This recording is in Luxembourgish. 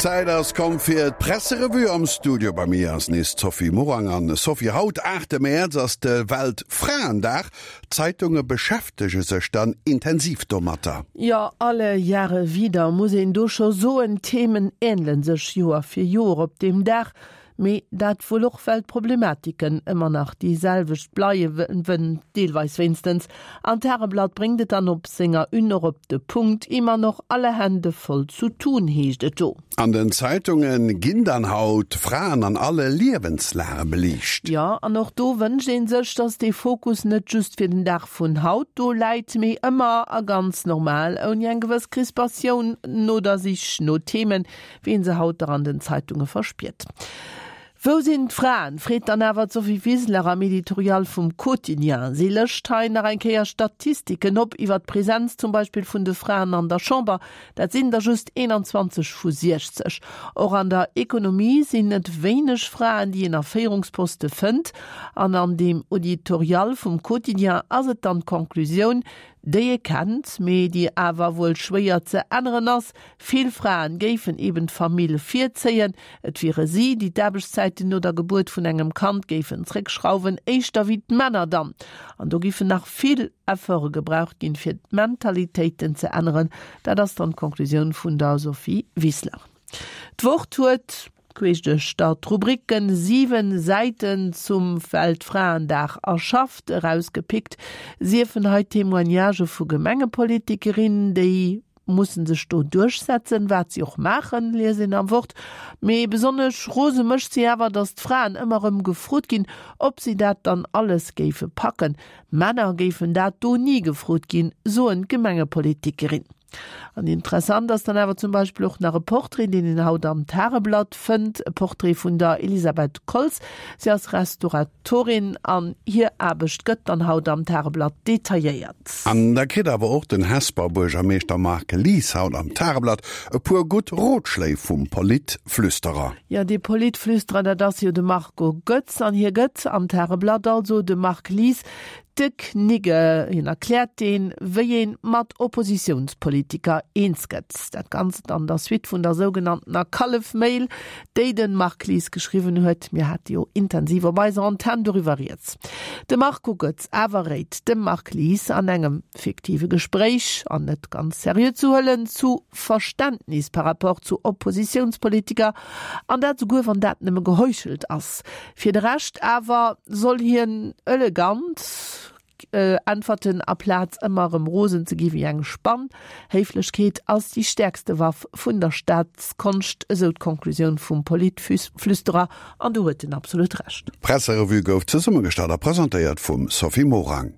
D'Zäit ass komm fir d'Presserevue. Am Studio bei mir ass nees d'Sophie Morang. An Sophie, haut, 8 Mäerz, ass de Weltfraendag. D'Zeitunge beschäftege sech dann intensiv domatter. Jo, alle Jahre wieder, muss een do scho soen. D'Themen änele sech Joer fir Joer op deem Dag. Mee dat wuel och well d'Problematiken ëmmer nach déi selwecht bleiwen, deelweis wéinstens. An d'Tageblatt bréngt et dann op senger Une och op de Punkt, Immer noch alle Hände voll zu tun, heescht et do. An den Zeitunge ginn dann haut Fraen an alle Liewenslage beliicht. Jo, an och do wënscht ee sech, dass dee Fokus net just fir den Dag vun haut do läit, mee ëmmer a ganz normal, ouni eng gewëss Crispatioun no der Sich no Themen, wéi een se haut dach an den Zeitunge verspiert. Wou sinn d'Fraen? freet dann awer d'Sophie Wiseler am Editorial vum Quotidien. Si lëscht hei nach eng Kéier Statistiken op iwwer d'Presenz zum Beispill vun de Fraen an der Chamber. Dat sinn der just 21 vu 60. Och an der Ekonomie sinn et wéineg Fraen, déi een a Féierungsposte fënnt. An an deem Auditorial vum Quotidien ass et dann d'Conclusioun, déi ee kennt, mee déi awer wuel schwéier ze änneren ass, Vill Fraen géifen eben d'Famill virzéien. Et wiere si, déi d'Aarbechtszäiten no der Gebuert vun engem Kand géifen zréckschrauwen, éischter wéi d'Männer dann. An do giffen nach vill Efforte gebraucht ginn, fir d'Mentalitéiten ze änneren. Dat ass dann d'Conclusioun vun der Sophie Wiseler. D'Wort huet, queesch duerch der d'Rubriken, 7 Säiten zum Weltfraendag erschafft, erausgepickt siefen hei Témoignagë vu Gemengepolitikerinnen, déi mussen sech do duerchsetzen, wat si och maachen, liest een am Wort. Mee besonnesch rose mécht si awer, datt d'Fraen ëmmer erëm gefrot ginn, ob si dat dann alles géife packen. Männer géifen dat do ni gefrot ginn, soen d'Gemengepolitikerin. An interessant ass dann awer zum Beispill och nach e Portrait, deen een haut am Tageblatt fënnt, e Portrait vun der Elisabeth Koltz. Si ass Restauratorin an hir Aarbecht gëtt dann haut am Tageblatt detailléiert. An da kritt awer och den Hesper Buergermeeschter Marc Lies haut am Tageblatt e puer gutt Rotschléi vum Politflüsterer. Jo, dee Politflüsterer, dat ass jo de Marco Goetz. An hie gëtt am Tageblatt also dem Marc Lies De Knigge, hien erkläert deen, wéi een mat Oppositiounspolitiker eens gëtt. Dat Ganzt an der Suite vun der sougenanntener Kallef-Mail, déi den Marc Lies geschriwwen huet. Mir hate jo intensiv op eiser Antenn doriwwer rieds. De Marco Goetz awer réit dem Marc Lies an engem fiktive Gespréich, an net ganz seriö ze huelen, zu Verständnis par rapport zu Oppositiounspolitiker, an dat souguer wann dat nëmme geheuchelt ass. Fir de Rescht awer soll hien elegant äntwerten, aplaz ëmmer erëm rosen ze gi wéi eng Spann. Héiflechkeet ass déi stäerkste Waff vun der Staatskonscht, esou d'Konklusioun vum Politflüsterer, an do huet en absolut Recht. D'Presserevue gouf zesummegestallt a presentéiert vum Sophie Morang.